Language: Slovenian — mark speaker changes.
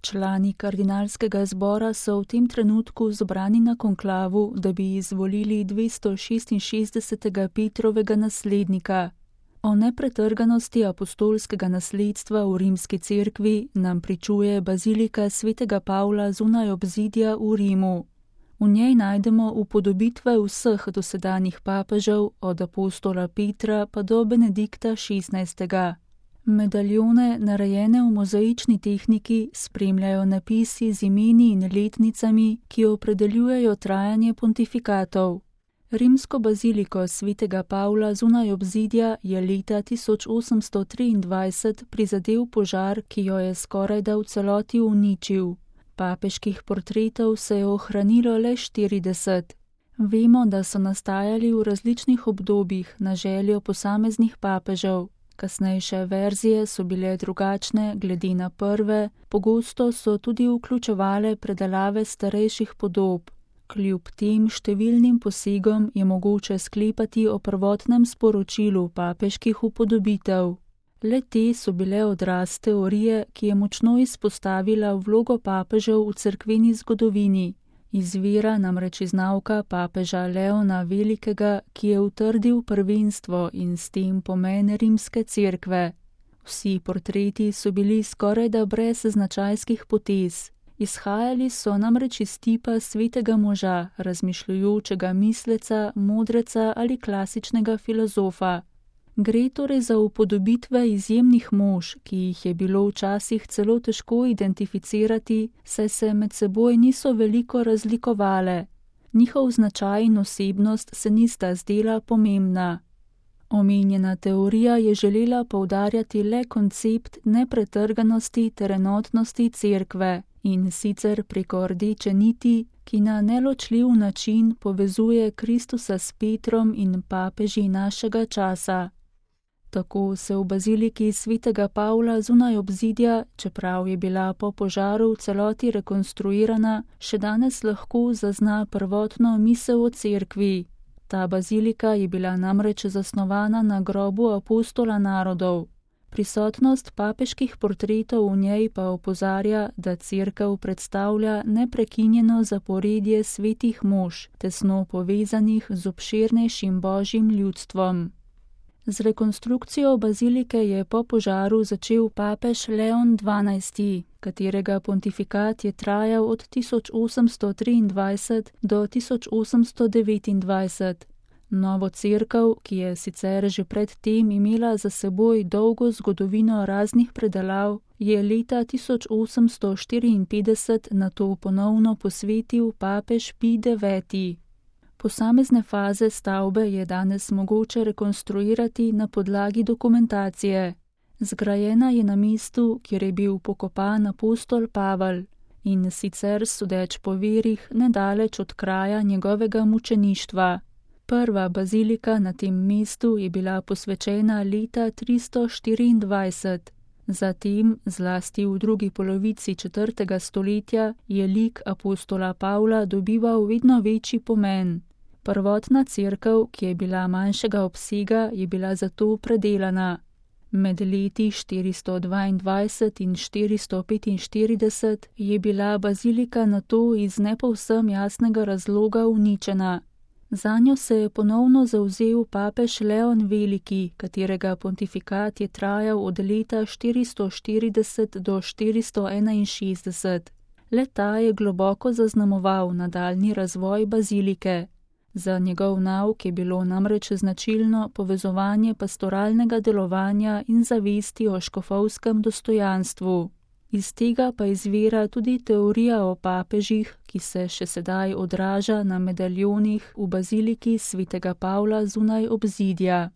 Speaker 1: Člani kardinalskega zbora so v tem trenutku zbrani na konklavu, da bi izvolili 266. Petrovega naslednika. O nepretrganosti apostolskega nasledstva v rimski cerkvi nam pričuje bazilika svetega Pavla zunaj obzidja v Rimu. V njej najdemo upodobitve vseh dosedanjih papežev, od apostola Petra pa do Benedikta XVI. Medaljone, narejene v mozaični tehniki, spremljajo napisi z imeni in letnicami, ki opredeljujejo trajanje pontifikatov. Rimsko baziliko svetega Pavla zunaj obzidja je leta 1823 prizadel požar, ki jo je skorajda v celoti uničil. Papeških portretov se je ohranilo le 40. Vemo, da so nastajali v različnih obdobjih na željo posameznih papežev. Kasnejše verzije so bile drugačne glede na prve, pogosto so tudi vključevale predelave starejših podob. Kljub tem številnim posegom je mogoče sklepati o prvotnem sporočilu papeških upodobitev. Le te so bile odraz teorije, ki je močno izpostavila vlogo papežev v cerkveni zgodovini. Izvira namreč iz nauka papeža Leona Velikega, ki je utrdil prvenstvo in s tem pomen rimske cerkve. Vsi portreti so bili skorajda brez značajskih potez. Izhajali so namreč iz tipa svetega moža, razmišljujočega misleca, modreca ali klasičnega filozofa. Gre torej za upodobitve izjemnih mož, ki jih je bilo včasih celo težko identificirati, saj se med seboj niso veliko razlikovale. Njihov značaj in osebnost se nista zdela pomembna. Omenjena teorija je želela poudarjati le koncept nepretrganosti ter enotnosti cerkve, in sicer preko rdeče niti, ki na neločljiv način povezuje Kristusa s Petrom in papeži našega časa. Tako se v baziliki svetega Pavla zunaj obzidja, čeprav je bila po požaru v celoti rekonstruirana, še danes lahko zazna prvotno misel o cerkvi. Ta bazilika je bila namreč zasnovana na grobu apostola narodov. Prisotnost papeških portretov v njej pa opozarja, da cerkev predstavlja neprekinjeno zaporedje svetih mož, tesno povezanih z obširnejšim božjim ljudstvom. Z rekonstrukcijo bazilike je po požaru začel papež Leon XII, katerega pontifikat je trajal od 1823 do 1829. Novo cerkev, ki je sicer že pred tem imela za seboj dolgo zgodovino raznih predelav, je leta 1854 nato ponovno posvetil papež Pij IX. Posamezne faze stavbe je danes mogoče rekonstruirati na podlagi dokumentacije. Zgrajena je na mestu, kjer je bil pokopan apostol Pavel, in sicer sodeč po virih nedaleč od kraja njegovega mučeništva. Prva bazilika na tem mestu je bila posvečena leta 324. Zatem, zlasti v drugi polovici 4. stoletja, je lik apostola Pavla dobival vedno večji pomen. Prvotna cerkev, ki je bila manjšega obsega, je bila zato predelana. Med leti 422 in 445 je bila bazilika nato iz ne povsem jasnega razloga uničena. Zanjo se je ponovno zavzel papež Leon Veliki, katerega pontifikat je trajal od leta 440 do 461. Le-ta je globoko zaznamoval nadaljnji razvoj bazilike. Za njegov nauk je bilo namreč značilno povezovanje pastoralnega delovanja in zavesti o škofovskem dostojanstvu. Iz tega pa izvira tudi teorija o papežih, ki se še sedaj odraža na medaljonih v baziliki svetega Pavla zunaj obzidja.